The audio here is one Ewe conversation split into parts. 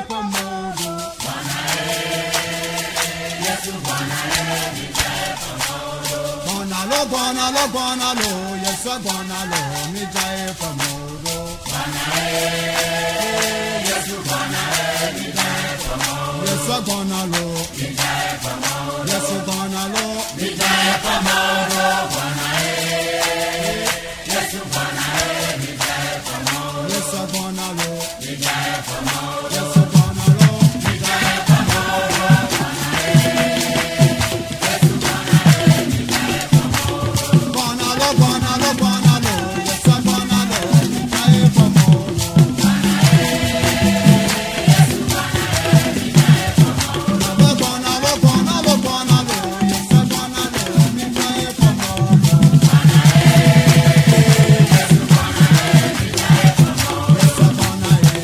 fɔmɔdo. Gbɔna lo gbɔna lo gbɔna lo Yesu gbɔna lo mi dza ye fɔmɔdo. Yesu gbɔna lo. Yesu gbɔna lo. Mi dza ye fɔmɔdo. Yesu gbɔna lo. Yesu gbɔna lo. Mi dza ye fɔmɔdo. Gbɔna lo gbɔna lo gbɔna lo Yesu gbɔna lo mi dza ye fɔmɔdo. Gbɔna lo gbɔna lo gbɔna lo Yesu gbɔna lo mi dza ye fɔmɔdo. Yesu gbɔna ye. Yesu gbɔna ye.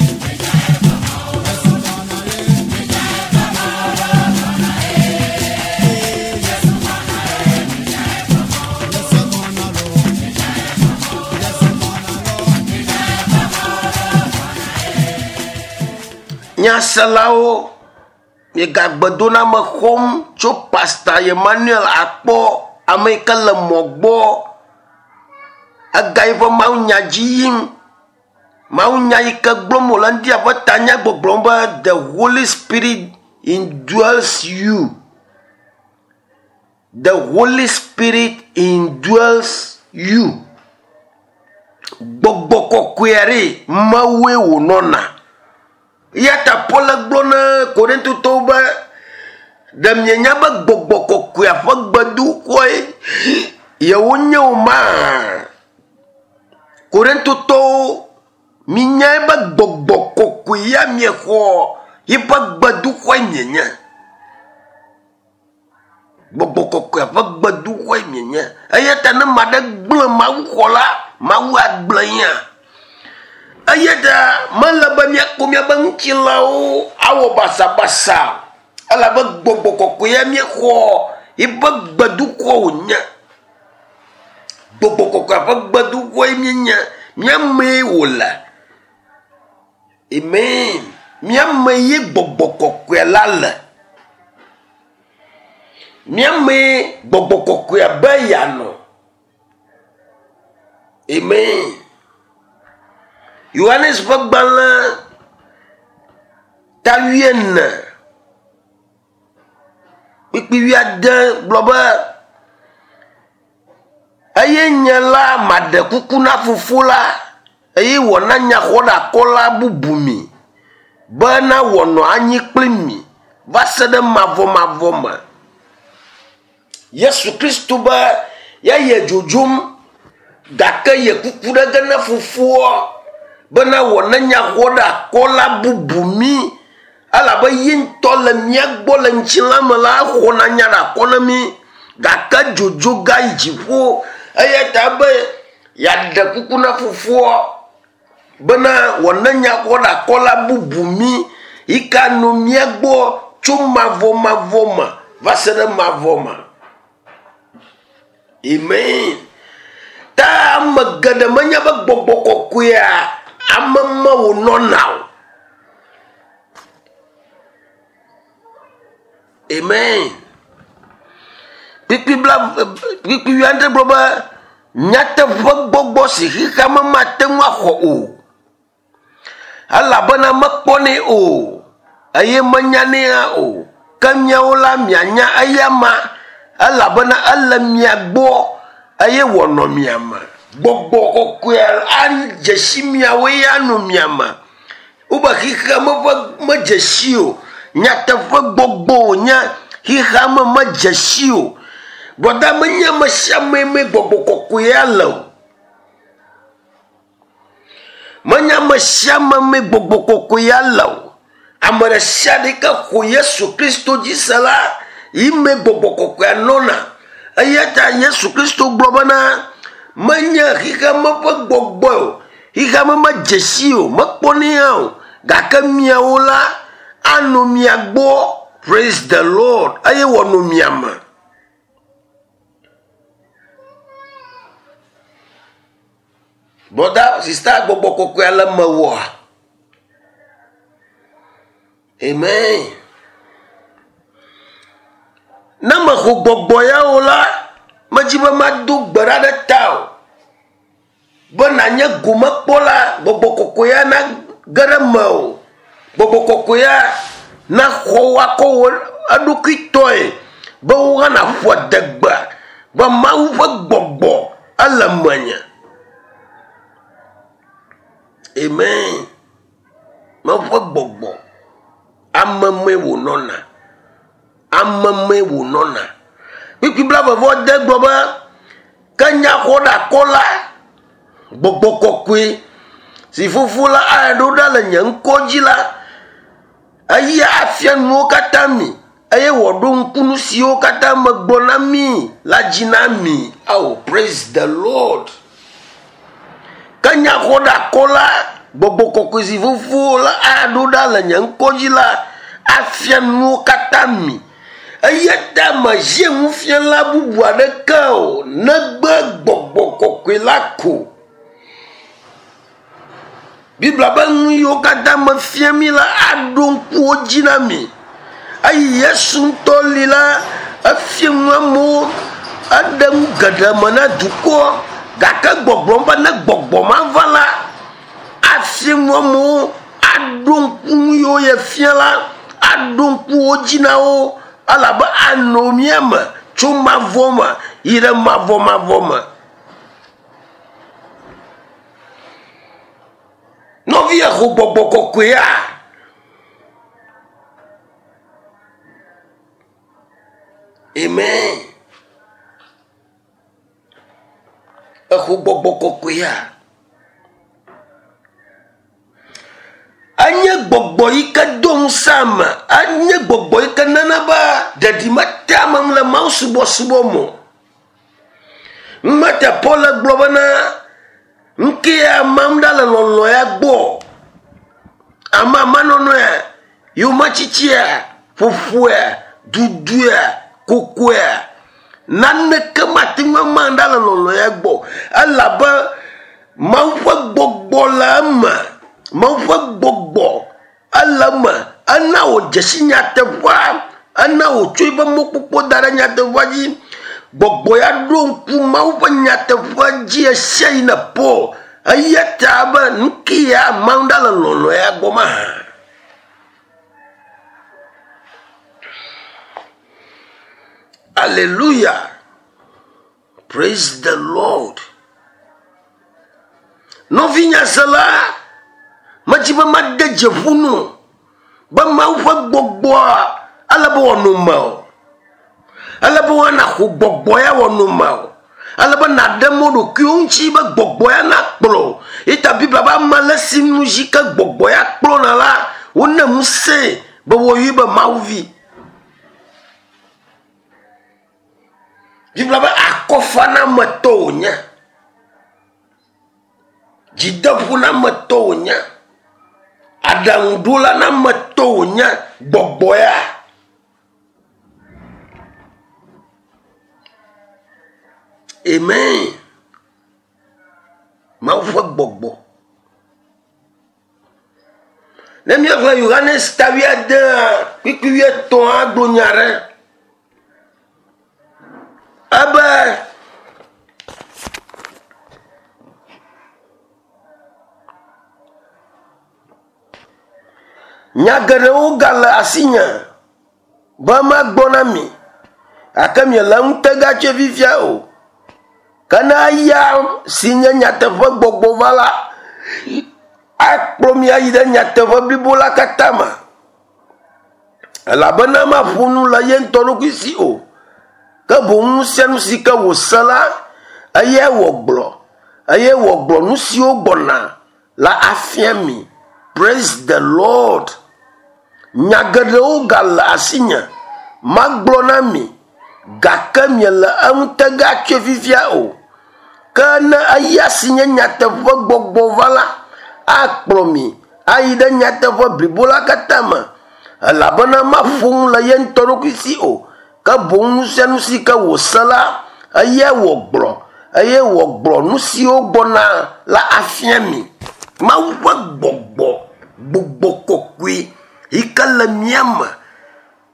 Yesu gbɔna lo. Yesu gbɔna lo. Nyaselawo, miegagbedoname xɔm tso Pasta Emmanuel akpɔ ame yi ke le mɔ gbɔ. Ega yiƒe mawunya dzi yim. Mawunya yi ke gblɔm wòle ŋdia ƒe tanya gbɔgblɔm be the Holy Spirit indwells you. The Holy Spirit indwells you. Gbɔgbɔ kɔkɔea ɖe Mawue wònɔna. Eya ta Paul gblɔ na Korintotɔwo be ɖe mienya be gbɔgbɔ kɔkɔea ƒe gbedoxɔe yewonye o maa? Korintotɔwo minyae be gbɔgbɔ kɔkɔe ya miexɔ yiƒe gbedoxɔe mienye. Gbɔgbɔ kɔkɔea ƒe gbedoxɔe mienye. Eya ta ne ame aɖe gblẽ mawuxɔ la, Mawu agblẽ ya. Eya ta mele be míakpɔ míaƒe ŋutilãwo awɔ basabasa o. Elabe gbɔgbɔ kɔkɔe ya míexɔ yiƒe gbedoxɔ wònye. Gbɔgbɔ kɔkɔea ƒe gbedoxɔe míenye. Mía mee wòle. Amen. Mía me ye gbɔgbɔ kɔkɔe la le. Mía mee gbɔgbɔ kɔkɔea be yeanɔ. Amen. Yohanes ƒe gbalẽ ta wuiene kpukpui wuiade gblɔ be eye nye la maɖe kuku na fofo la eye wòana nyaxɔɖeakɔla bubu mi bena wòanɔ anyi kpli mi va se ɖe mavɔmavɔ me. Yesu Kristo be yeye dzodzom gake ye kuku ɖe ge na fofoa bena wòana nyaxɔɖeakɔla bubu mi elabe ye ŋutɔ le mía gbɔ le ŋutilã me la exɔna nya ɖe akɔ na mí gake dzodzo ga yi dziƒo eya ta be yeaɖe kuku na fofoa bena wòana nyaxɔɖeakɔla bubu mí yi ke anɔ mía gbɔ tso mavɔmavɔ me va se ɖe mavɔ me. Amen. Ta ame geɖe menya be gbɔgbɔ kɔkɔea ame me wònɔna o. Amen. Kpukpui bla kpukpui wuiadre gblɔ be nyateƒe gbɔgbɔ si xexea me mate ŋu axɔ o elabena mekpɔnɛ o eye menyanɛ hã o. Ke miawo la mianya eyama elabena ele mia gbɔ eye wòanɔ mia me. Gbɔgbɔ kɔkɔea adze si miawo eye anɔ mia me. Wobe xexea me ƒe medze si o. Nyateƒe gbɔgbɔ wònye xexea me medze si o. Brɔda menye ame sia ame mee gbɔgbɔ kɔkɔea le o. Menye ame sia ame mee gbɔgbɔ kɔkɔea le o. Ame ɖe sia ɖe yi ke xɔ Yesu Kristo dzi se la, yi mee gbɔgbɔ kɔkɔea nɔna. Eya ta Yesu Kristo gblɔ bena menye xexeme ƒe gbɔgbɔe o. Xexeme medze si o, mekpɔnɛ hã o. Gake miawo la, anɔ mia gbɔ. Praise the Lord. Eye wòanɔ mia me. Brɔda, sista, gbɔgbɔ kɔkɔea le mewòa? Amen. Ne mexɔ gbɔgbɔ ya o la, medzi be mado gbe ɖa ɖe ta o. Be nànye gomekpɔla, gbɔgbɔ kɔkɔea nage ɖe mewò. Gbɔgbɔ kɔkɔea naxɔ wò akɔ wò eɖokui tɔe be wò hã nàƒo adegbe be Mawu ƒe gbɔgbɔ ele menye. Amen. Mawu ƒe gbɔgbɔ ame mee wònɔna. Ame mee wònɔna. Kpukpui blaeve-vɔ-ade gblɔ be, Ke nyaxɔɖeakɔla, gbɔgbɔ kɔkɔe si Fofo la aɖo ɖa le nye ŋkɔ dzi la, eya afia nuwo katã mi eye wòaɖo ŋku nu siwo katã megblɔ na mi la dzi na mi. Oh, praise the Lord. Ke nyaxɔɖeakɔla, gbɔgbɔ kɔkɔe si Fofo la aɖo ɖa le nye ŋkɔ dzi la, afia nuwo katã mi. Eya ta mehiã nufiala bubu aɖeke o, negbe gbɔgbɔ kɔkɔe la ko. Biblia be nu yiwo katã mefia mi la aɖo ŋku wo dzi na mi. Eyi Yesu ŋutɔ li la, efia nu amewo, eɖe nu geɖe me na dukɔ gake gbɔgblɔm be ne gbɔgbɔ ma va la, afia nu amewo, aɖo ŋku nu yiwo yefia la, aɖo ŋku wo dzi na wo elabe anɔ mía me tso mavɔ me yi ɖe mavɔmavɔ me. Nɔvi exo gbɔgbɔ kɔkɔea? Amen. Exo gbɔgbɔ kɔkɔea? Enye gbɔgbɔ yi ke do ŋusẽ ame. Enye gbɔgbɔ yi ke nana be ɖeɖi metea ame ŋu le mawusubɔsubɔ me o. Numete Paul gblɔ bena, Nuke amam ɖa le lɔlɔ̃ ya gbɔ. Amamanɔnɔea, yometsitsia, ƒoƒoea, duduea, kokoea, naneke mate ŋu ama ɖa le lɔlɔ̃ ya gbɔ. Elabe Mawu ƒe gbɔgbɔ le eme. Mawu ƒe gbɔgbɔ Ele eme, ena wòdze si nyateƒea, ena wòtsɔ eƒe mɔkpɔkpɔ da ɖe nyateƒea dzi. Gbɔgbɔ ya ɖo ŋku Mawu ƒe nyateƒea dzi ɣesiaɣi ne Paul. Eya ta be nu ke ya Mawu ɖa le lɔlɔ̃ ya gbɔ mahã. Aleluya. Praise the Lord. Nɔvinyasela, medzi be made dze ƒu nu be Mawu ƒe gbɔgbɔa ele be wòanɔ mewò. Ele be woana xo gbɔgbɔ ya wòanɔ mewò. Ele be nàɖe mɔ ɖokuiwò ŋuti be gbɔgbɔ ya nakplɔ wò. Eyi ta Biblia be ame ale si nu dzi ke gbɔgbɔ ya kplɔna la, wone ŋusẽe be woayɔe be Mawu vi. Biblia be akɔfanametɔ wònye. Dzideƒonametɔ wònye. Aɖaŋuɖolanametɔ wònye. Gbɔgbɔ ya. Amen. Mawu ƒe gbɔgbɔ. Ne míexlẽ Yohanes ta wuiadea kpukpui wuietɔ̃a gblɔ nya ɖe ebe nya geɖewo gale asinye be magblɔ na mi gake miele ŋutega tsoe fifia o. Ke ne eya si nye nyateƒe gbɔgbɔ va la, akplɔ mi ayi ɖe nyateƒe blibo la katã me. Elabena maƒo nu le ye ŋutɔ ɖokui si o, ke boŋ nu sia nu si ke wòse la, eyae wògblɔ, eye wògblɔ nu siwo gbɔna la afia mi. Praise the Lord. Nya geɖewo gale asinye magblɔ na mi, gake miele eŋutega tsoe fifia o. Ke ne eya si nye nyateƒe gbɔgbɔ va la, akplɔ mi ayi ɖe nyateƒe blibo la katã me, elabena maƒo nu le ye ŋutɔ ɖokui si o, ke boŋ nu sia nu si ke wòse la, eyae wògblɔ, eye wògblɔ nu siwo gbɔna la afia mi. Mawu ƒe gbɔgbɔ, gbɔgbɔ kɔkɔe. yi ke le mía me.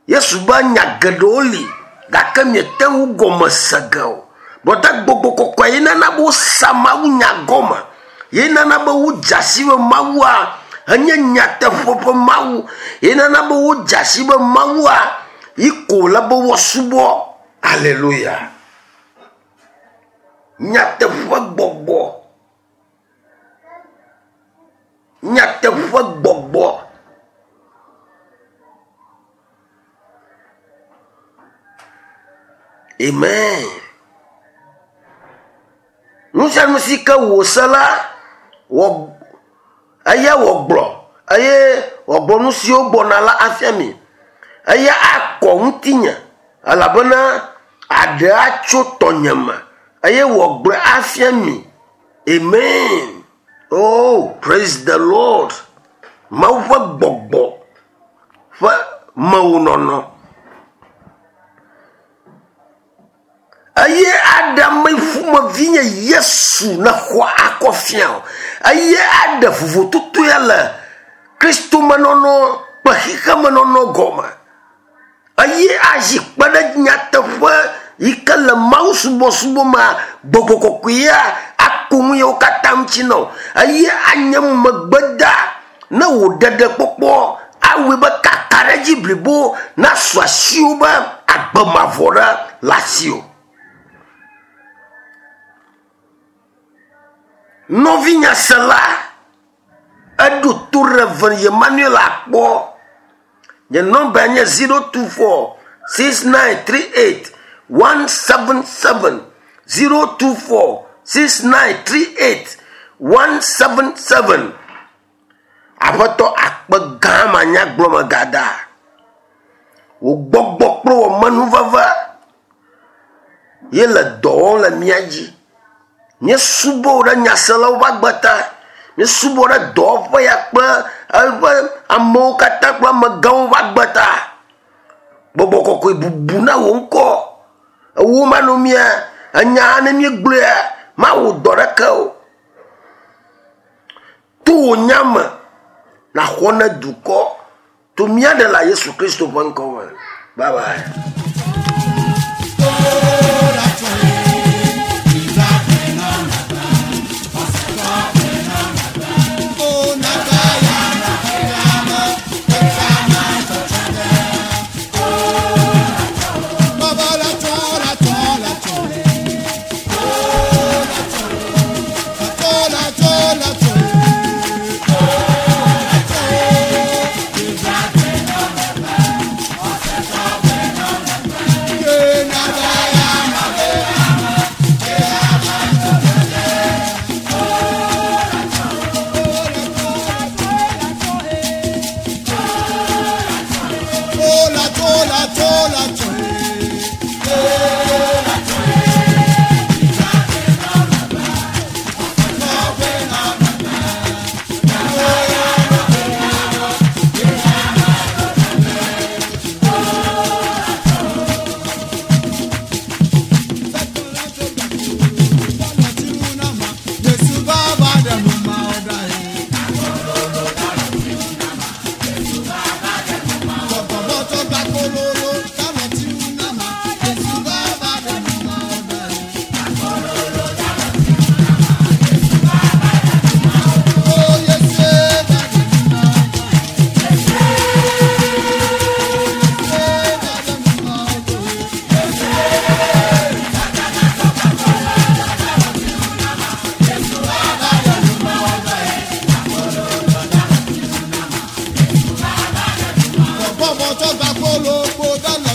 Yesu be nya geɖewo li gake miete ŋu gɔme se ge o. Bɔta gbɔgbɔ kɔkɔe ye nana be wosa Mawu nya gɔme. Ye nana be wodze asi be Mawua enye nyateƒe ƒe Mawu. Ye nana be wodze asi be Mawua yi ko wòle be woasubɔ. Aleluya. Nyateƒe gbɔgbɔ. Nyateƒe gbɔgbɔ. Amen. Nu sia nu si ke wòse la, wɔ eya wògblɔ eye wòagblɔ nu siwo gbɔna la afia mi. Eya akɔ ŋutinye elabena aɖe atso tɔnye me eye wòagblɔe afia mi. Amen. Oh, praise the Lord. Mawu ƒe gbɔgbɔ ƒe mewonɔnɔ. Eye aɖe ame ƒomevi nye Yesu nexɔ akɔ fia o. Eye aɖe vovototo ya le Kristomenɔnɔ kple xexemenɔnɔ gɔme. Eye azi kpe ɖe nyateƒe yi ke le mawusubɔsubɔ mea, gbɔgbɔ kɔkɔea aku nu yawo katã ŋuti na wò. Eye anye megbeda ne wò ɖeɖekpɔkpɔ awɔe be kakaɖedzi blibo nasu asiwò be agbe mavɔ ɖe le asiwò. Nɔvinyasela, eɖo to Rev. Emmanuel akpɔ. Nye nɔmba nye 024 6938 177 024 6938 177. Aƒetɔ akpe gã manyagblɔ megada. Wò gbɔgbɔ kple wò menuveve ye le dɔ wɔm le mía dzi. Míesubɔ wò ɖe nyaselawo ƒe agbe ta. Míesubɔ ɖe dɔwɔƒe ya kple eƒe amewo katã kple amegãwo ƒe agbe ta. Gbɔgbɔ kɔkɔe bubu na wò ŋkɔ. Ewo manɔ mía enya ne míegblɔea mawɔ dɔ ɖeke o. To wò nya me nàxɔ ne dukɔ to mía Ɖela Yesu Kristo ƒe ŋkɔ me. Bye bye. Bọ́mọ tó gba kólógbó dáná.